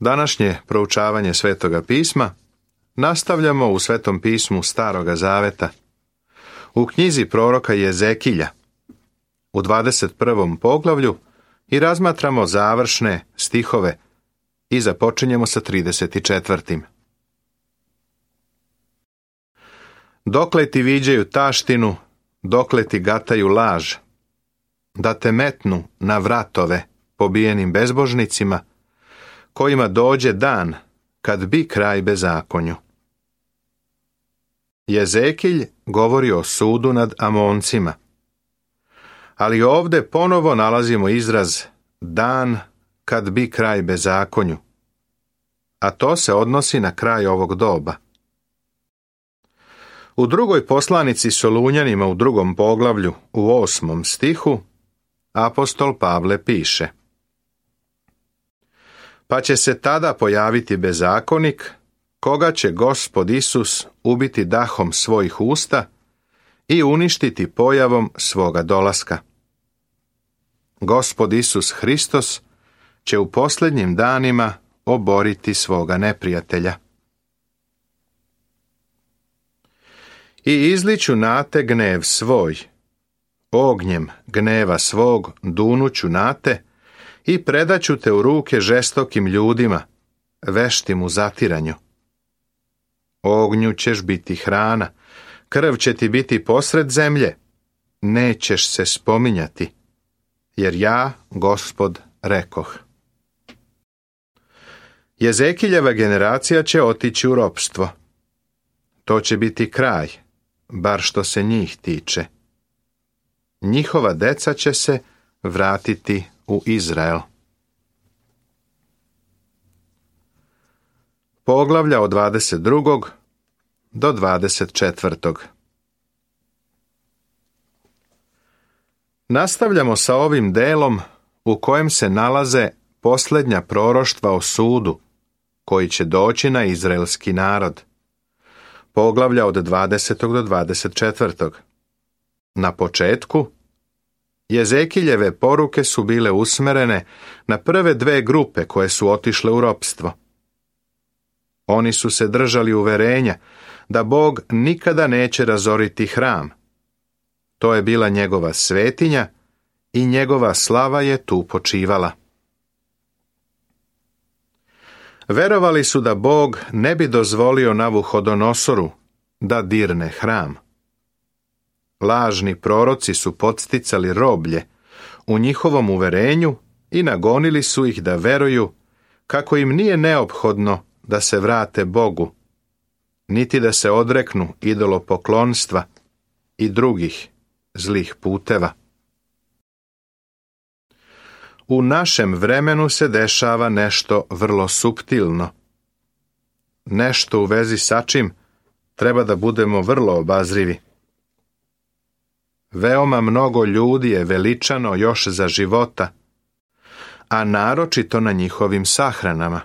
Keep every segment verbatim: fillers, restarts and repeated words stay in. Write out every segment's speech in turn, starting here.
Današnje proučavanje Svetoga pisma nastavljamo u Svetom pismu Staroga zaveta, u knjizi proroka Jezekilja, u dvadeset prvom poglavlju i razmatramo završne stihove i započinjemo sa trideset četvrtim. Dokle ti viđaju taštinu, dokle ti gataju laž, da te metnu na vratove pobijenim bezbožnicima, kojima dođe dan kad bi kraj bezakonju. Jezekilj govori o sudu nad Amoncima, ali ovdje ponovo nalazimo izraz dan kad bi kraj bezakonju, a to se odnosi na kraj ovog doba. U drugoj poslanici Solunjanima u drugom poglavlju u osmom stihu apostol Pavle piše: Pa će se tada pojaviti bezakonik, koga će Gospod Isus ubiti dahom svojih usta i uništiti pojavom svoga dolaska. Gospod Isus Hristos će u posljednjim danima oboriti svoga neprijatelja. I izliću na te gnev svoj, ognjem gneva svog dunuću na te i predaću te u ruke žestokim ljudima, veštim u zatiranju. Ognju ćeš biti hrana, krv će ti biti posred zemlje, nećeš se spominjati, jer ja, Gospod, rekoh. Jezekiljeva generacija će otići u ropstvo. To će biti kraj, bar što se njih tiče. Njihova deca će se vratiti u Izrael. Poglavlja od dvadeset drugog do dvadeset četvrtog. Nastavljamo sa ovim delom u kojem se nalaze posljednja proroštva o sudu koji će doći na izraelski narod. Poglavlja od dvadesetog do dvadeset četvrtog. Na početku, Jezekiljeve poruke su bile usmerene na prve dve grupe koje su otišle u ropstvo. Oni su se držali uverenja da Bog nikada neće razoriti hram. To je bila njegova svetinja i njegova slava je tu počivala. Verovali su da Bog ne bi dozvolio Navuhodonosoru da dirne hram. Lažni proroci su podsticali roblje u njihovom uverenju i nagonili su ih da veruju kako im nije neophodno da se vrate Bogu, niti da se odreknu idolopoklonstva i drugih zlih puteva. U našem vremenu se dešava nešto vrlo suptilno. Nešto u vezi sa čim treba da budemo vrlo obazrivi. Veoma mnogo ljudi je veličano još za života, a naročito na njihovim sahranama.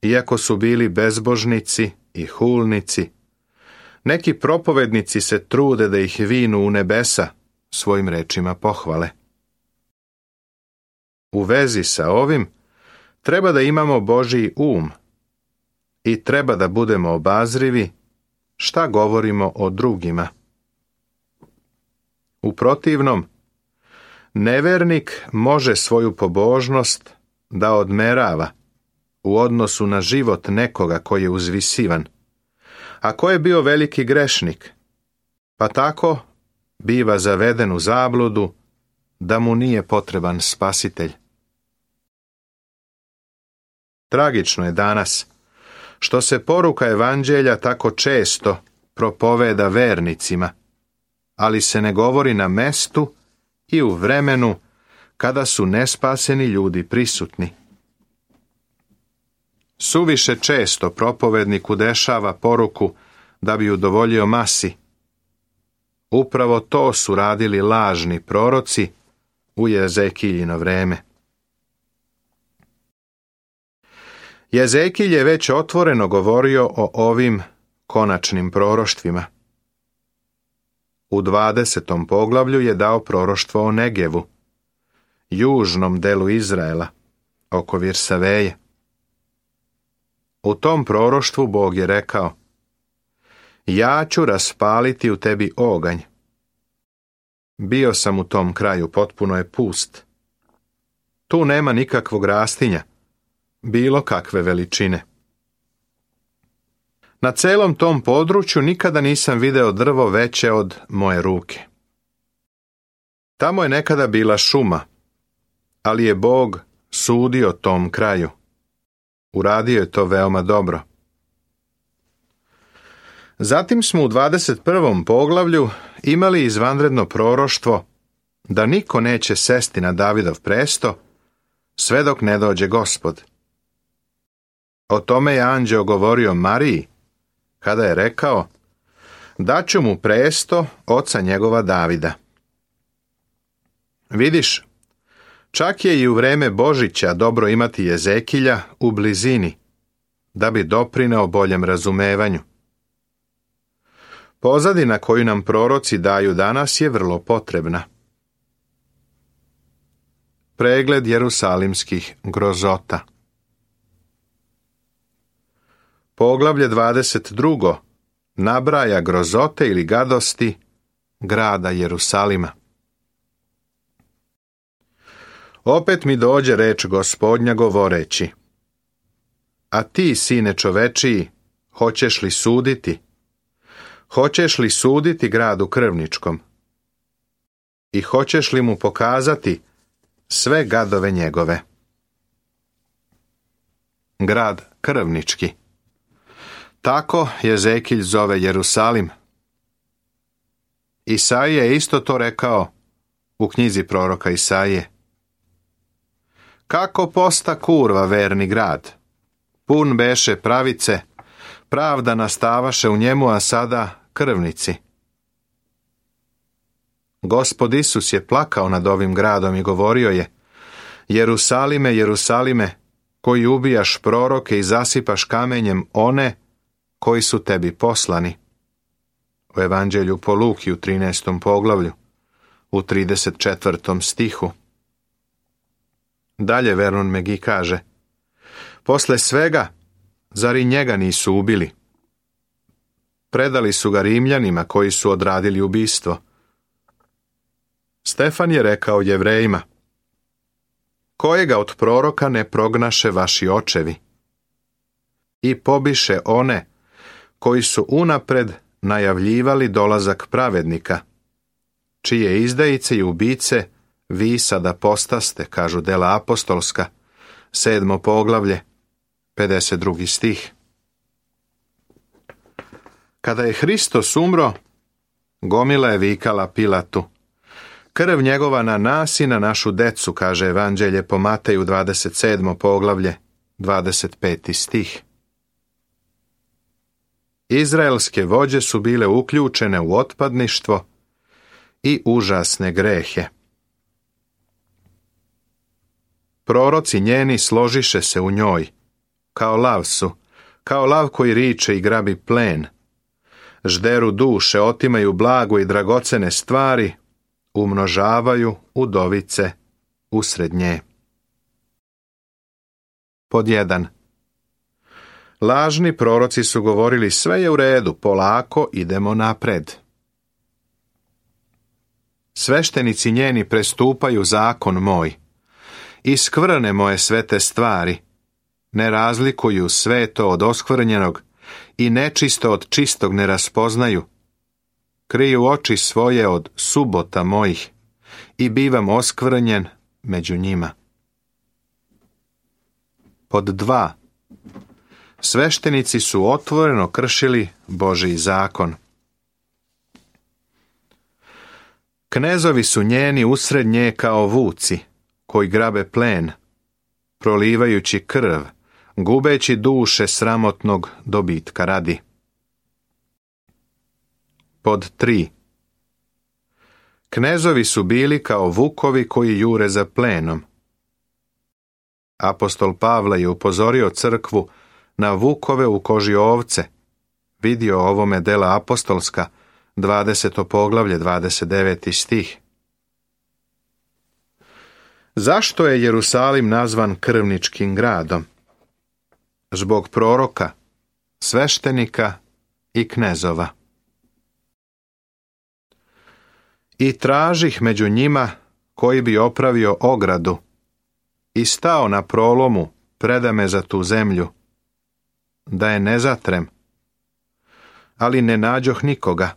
Iako su bili bezbožnici i hulnici, neki propovednici se trude da ih vinu u nebesa svojim rečima pohvale. U vezi sa ovim treba da imamo Božji um i treba da budemo obazrivi šta govorimo o drugima. U protivnom, nevernik može svoju pobožnost da odmerava u odnosu na život nekoga koji je uzvisivan, a ko je bio veliki grešnik, pa tako biva zaveden u zabludu da mu nije potreban spasitelj. Tragično je danas što se poruka evanđelja tako često propoveda vernicima, ali se ne govori na mestu i u vremenu kada su nespaseni ljudi prisutni. Suviše često propovednik udešava poruku da bi udovoljio masi. Upravo to su radili lažni proroci u Jezekiljino vreme. Jezekilj je već otvoreno govorio o ovim konačnim proroštvima. U dvadesetom poglavlju je dao proroštvo o Negevu, južnom delu Izraela, oko Virsaveje. U tom proroštvu Bog je rekao: ja ću raspaliti u tebi oganj. Bio sam u tom kraju, potpuno je pust. Tu nema nikakvog rastinja, bilo kakve veličine. Na celom tom području nikada nisam video drvo veće od moje ruke. Tamo je nekada bila šuma, ali je Bog sudio tom kraju. Uradio je to veoma dobro. Zatim smo u dvadeset prvom poglavlju imali izvanredno proroštvo da niko neće sesti na Davidov presto sve dok ne dođe Gospod. O tome je anđeo govorio Mariji kada je rekao: daću mu presto oca njegova Davida. Vidiš, čak je i u vreme Božića dobro imati Jezekilja u blizini, da bi doprineo boljem razumevanju. Pozadina koju nam proroci daju danas je vrlo potrebna. Pregled jerusalimskih grozota. Poglavlje dvadeset drugo nabraja grozote ili gadosti grada Jerusalima. Opet mi dođe reč Gospodnja govoreći: a ti, sine čovečiji, hoćeš li suditi? Hoćeš li suditi gradu krvničkom? I hoćeš li mu pokazati sve gadove njegove? Grad krvnički. Tako Jezekilj zove Jerusalim. Isaija je isto to rekao u knjizi proroka Isaije. Kako posta kurva verni grad, pun beše pravice, pravda nastavaše u njemu, a sada krvnici. Gospod Isus je plakao nad ovim gradom i govorio je: Jerusalime, Jerusalime, koji ubijaš proroke i zasipaš kamenjem one koji su tebi poslani. U Evanđelju po Luki u trinaestom poglavlju, u trideset četvrtom stihu. Dalje Vernon Megi kaže: posle svega, zar i njega nisu ubili? Predali su ga Rimljanima koji su odradili ubistvo. Stefan je rekao Jevrejima: kojega od proroka ne prognaše vaši očevi? I pobiše one koji su unapred najavljivali dolazak pravednika, čije izdajice i ubice vi sada postaste, kažu dela apostolska, sedmo poglavlje, pedeset drugi stih. Kada je Hristos umro, gomila je vikala Pilatu: krv njegova na nas i na našu decu, kaže Evanđelje po Mateju dvadeset sedmo poglavlje, dvadeset peti stih. Izraelske vođe su bile uključene u otpadništvo i užasne grehe. Proroci njeni složiše se u njoj, kao lav su, kao lav koji riče i grabi plen. Žderu duše, otimaju blago i dragocene stvari, umnožavaju udovice usred nje. Pod jedan. Lažni proroci su govorili: sve je u redu, polako idemo napred. Sveštenici njeni prestupaju zakon moj, i skvrne moje svete stvari, ne razlikuju sveto od oskvrnjenog i nečisto od čistog ne raspoznaju. Kriju oči svoje od subota mojih i bivam oskvrnjen među njima. Pod dva. Sveštenici su otvoreno kršili Božji zakon. Knezovi su njeni usred nje kao vuci, koji grabe plen, prolivajući krv, gubeći duše sramotnog dobitka radi. Pod tri. Knezovi su bili kao vukovi koji jure za plenom. Apostol Pavle je upozorio crkvu na vukove u koži ovce. Vidio ovome dela apostolska, dvadeseto poglavlje, dvadeset deveti stih. Zašto je Jerusalim nazvan krvničkim gradom? zbog proroka, sveštenika i knezova. I tražih među njima koji bi opravio ogradu i stao na prolomu predame za tu zemlju, da je ne zatrem, ali ne nađoh nikoga.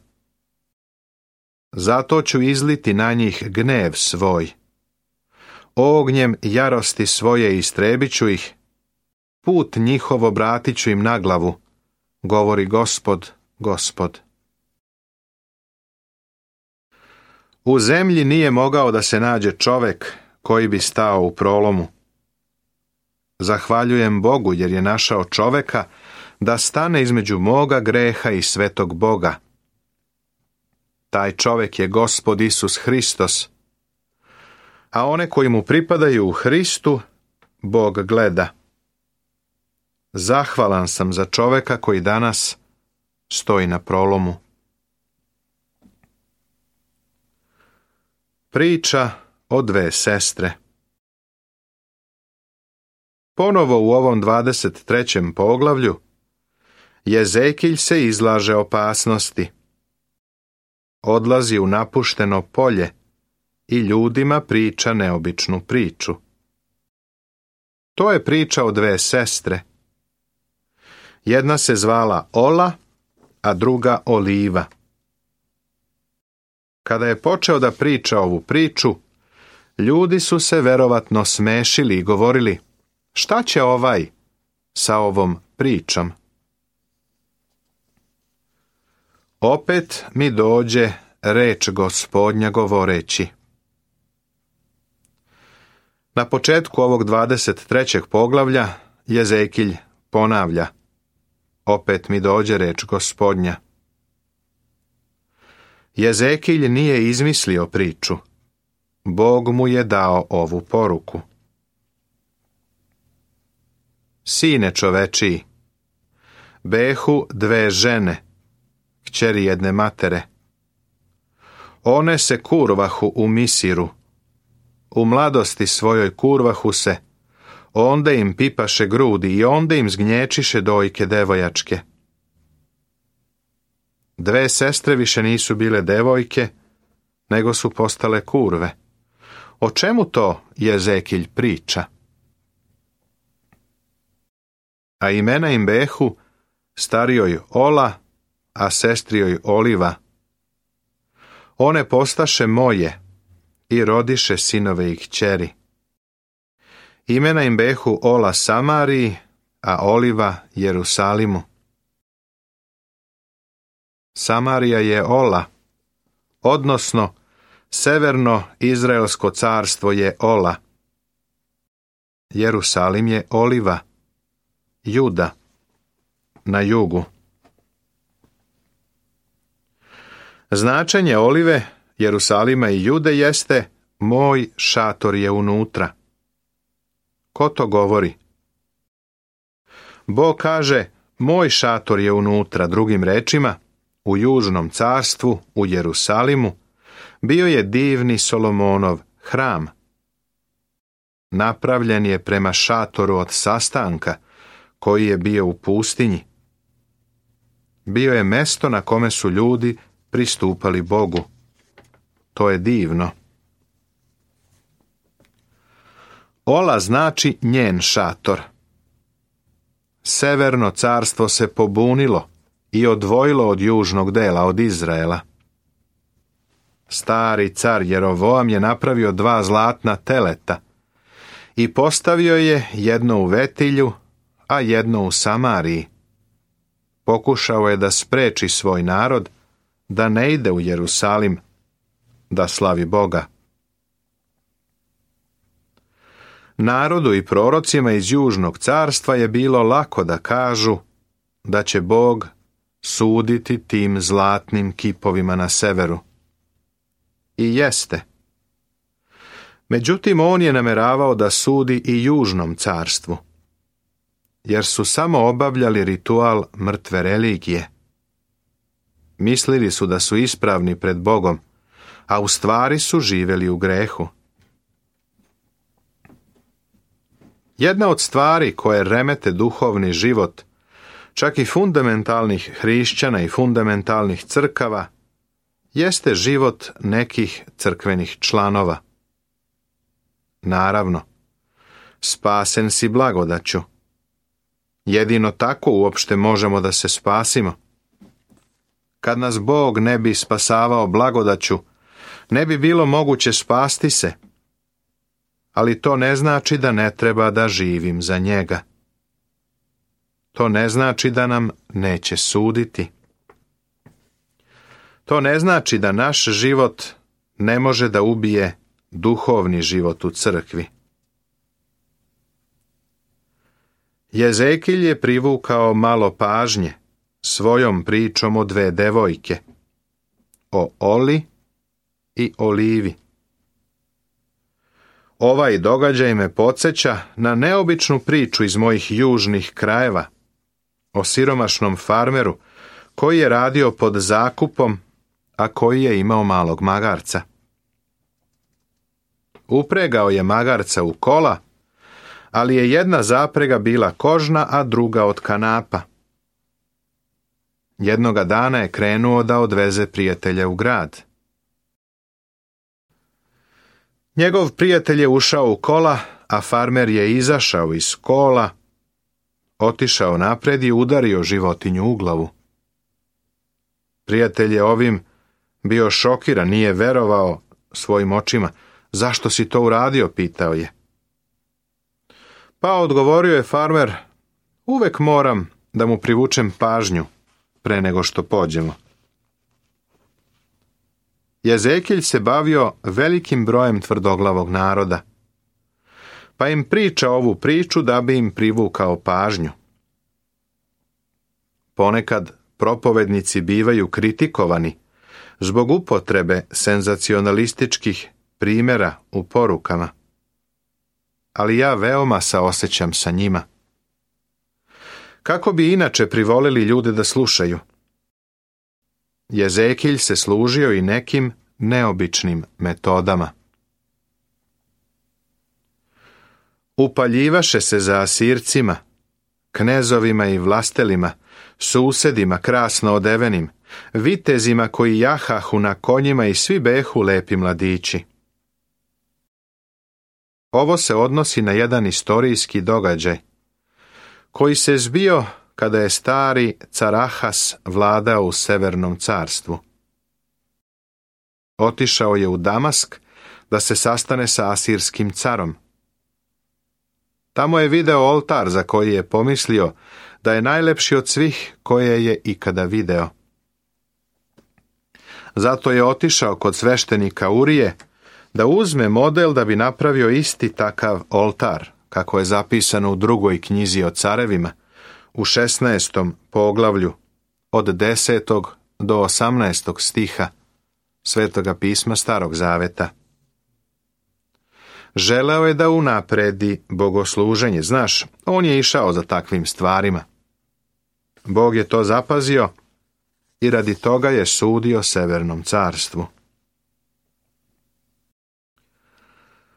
Zato ću izliti na njih gnev svoj. Ognjem jarosti svoje istrebit ću ih, put njihov obratit ću im na glavu, govori Gospod, Gospod. U zemlji nije mogao da se nađe čovek koji bi stao u prolomu. Zahvaljujem Bogu jer je našao čoveka da stane između moga greha i svetog Boga. Taj čovek je Gospod Isus Hristos, a one koji mu pripadaju u Hristu, Bog gleda. Zahvalan sam za čoveka koji danas stoji na prolomu. Priča o dve sestre. Ponovo u ovom dvadeset trećem poglavlju Jezekilj se izlaže opasnosti. Odlazi u napušteno polje i ljudima priča neobičnu priču. To je priča o dve sestre. Jedna se zvala Ola, a druga Oliva. Kada je počeo da priča ovu priču, ljudi su se verovatno smešili i govorili: šta će ovaj sa ovom pričom? Opet mi dođe reč Gospodnja govoreći. Na početku ovog dvadeset trećeg poglavlja Jezekilj ponavlja: opet mi dođe reč Gospodnja. Jezekilj nije izmislio priču. Bog mu je dao ovu poruku. Sine čovečiji, behu dve žene, kćeri jedne matere. One se kurvahu u Misiru. U mladosti svojoj kurvahu se, onda im pipaše grudi i onda im zgnječiše dojke devojačke. Dve sestre više nisu bile devojke, nego su postale kurve. O čemu to Jezekilj priča? A imena im behu starijoj Ola, a sestrijoj Oliva. One postaše moje i rodiše sinove i kćeri. Imena im behu Ola Samariji, a Oliva Jerusalimu. Samarija je Ola, odnosno severno Izraelsko carstvo je Ola. Jerusalim je Oliva, Juda, na jugu. Značenje Olive, Jerusalima i Jude jeste: moj šator je unutra. Ko to govori? Bog kaže: moj šator je unutra, drugim rečima, u južnom carstvu, u Jerusalimu, bio je divni Solomonov hram. Napravljen je prema šatoru od sastanka, koji je bio u pustinji. Bio je mesto na kome su ljudi pristupali Bogu. To je divno. Ola znači njen šator. Severno carstvo se pobunilo i odvojilo od južnog dela, od Izraela. Stari car Jerovoam je napravio dva zlatna teleta i postavio je jedno u Vetilju, a jedno u Samariji. Pokušao je da spreči svoj narod da ne ide u Jerusalim da slavi Boga. Narodu i prorocima iz južnog carstva je bilo lako da kažu da će Bog suditi tim zlatnim kipovima na severu. I jeste. Međutim, on je nameravao da sudi i južnom carstvu, jer su samo obavljali ritual mrtve religije. Mislili su da su ispravni pred Bogom, a u stvari su živjeli u grehu. Jedna od stvari koje remete duhovni život, čak i fundamentalnih hrišćana i fundamentalnih crkava, jeste život nekih crkvenih članova. Naravno, spasen si blagodaću. Jedino tako uopšte možemo da se spasimo. Kad nas Bog ne bi spasavao blagodaću, ne bi bilo moguće spasti se. Ali to ne znači da ne treba da živim za njega. To ne znači da nam neće suditi. To ne znači da naš život ne može da ubije duhovni život u crkvi. Jezekilj je privukao malo pažnje svojom pričom o dve devojke, o Oli i Olivi. Ovaj događaj me podsjeća na neobičnu priču iz mojih južnih krajeva, o siromašnom farmeru koji je radio pod zakupom, a koji je imao malog magarca. Upregao je magarca u kola, ali je jedna zaprega bila kožna, a druga od kanapa. Jednoga dana je krenuo da odveze prijatelja u grad. Njegov prijatelj je ušao u kola, a farmer je izašao iz kola, otišao napred i udario životinju u glavu. Prijatelj je ovim bio šokiran, nije verovao svojim očima. Zašto si to uradio, pitao je. Pa odgovorio je farmer, uvek moram da mu privučem pažnju pre nego što pođemo. Jezekilj se bavio velikim brojem tvrdoglavog naroda, pa im priča ovu priču da bi im privukao pažnju. Ponekad propovednici bivaju kritikovani zbog upotrebe senzacionalističkih primjera u porukama, ali ja veoma saosećam sa njima. Kako bi inače privolili ljude da slušaju? Jezekilj se služio i nekim neobičnim metodama. Upaljivaše se za Asircima, knezovima i vlastelima, susedima krasno odevenim, vitezima koji jahahu na konjima i svi behu lepi mladići. Ovo se odnosi na jedan istorijski događaj, koji se zbio kada je stari car Ahas vladao u Severnom carstvu. Otišao je u Damask da se sastane sa asirskim carom. Tamo je video oltar za koji je pomislio da je najlepši od svih koje je ikada video. Zato je otišao kod sveštenika Urije da uzme model da bi napravio isti takav oltar, kako je zapisano u drugoj knjizi o carevima, u šesnaestom poglavlju, od desetog do osamnaestog stiha Svetoga pisma Starog Zaveta. Želeo je da unapredi bogosluženje, znaš, on je išao za takvim stvarima. Bog je to zapazio i radi toga je sudio Severnom carstvu.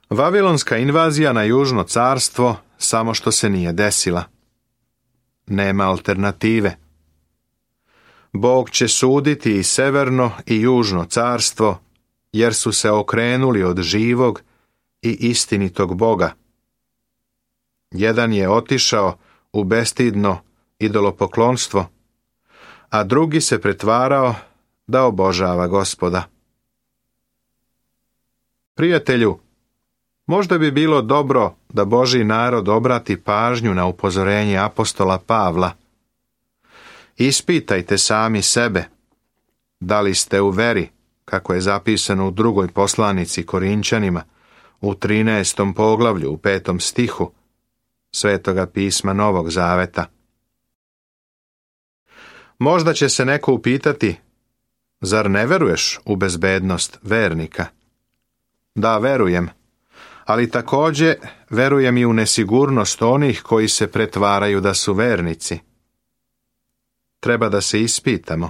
Vavilonska invazija na Južno carstvo samo što se nije desila. Nema alternative. Bog će suditi i Severno i Južno carstvo, jer su se okrenuli od živog i istinitog Boga. Jedan je otišao u bestidno idolopoklonstvo, a drugi se pretvarao da obožava Gospoda. Prijatelju, možda bi bilo dobro da Božji narod obrati pažnju na upozorenje apostola Pavla. Ispitajte sami sebe, da li ste u veri, kako je zapisano u drugoj poslanici Korinćanima, u trinaestom poglavlju, u petom stihu Svetoga pisma Novog Zaveta. Možda će se neko upitati, zar ne veruješ u bezbednost vernika? Da, verujem, ali također verujem i u nesigurnost onih koji se pretvaraju da su vernici. Treba da se ispitamo.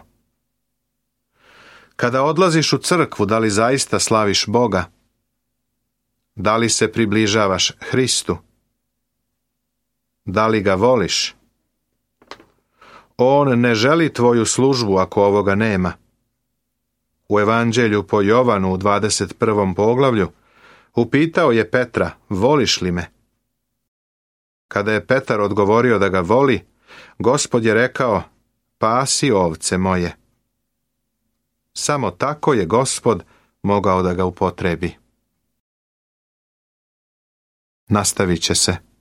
Kada odlaziš u crkvu, da li zaista slaviš Boga? Da li se približavaš Hristu? Da li ga voliš? On ne želi tvoju službu ako ovoga nema. U Evanđelju po Jovanu u dvadeset prvom poglavlju upitao je Petra, voliš li me? Kada je Petar odgovorio da ga voli, Gospod je rekao, pasi ovce moje. Samo tako je Gospod mogao da ga upotrebi. Nastavit će se.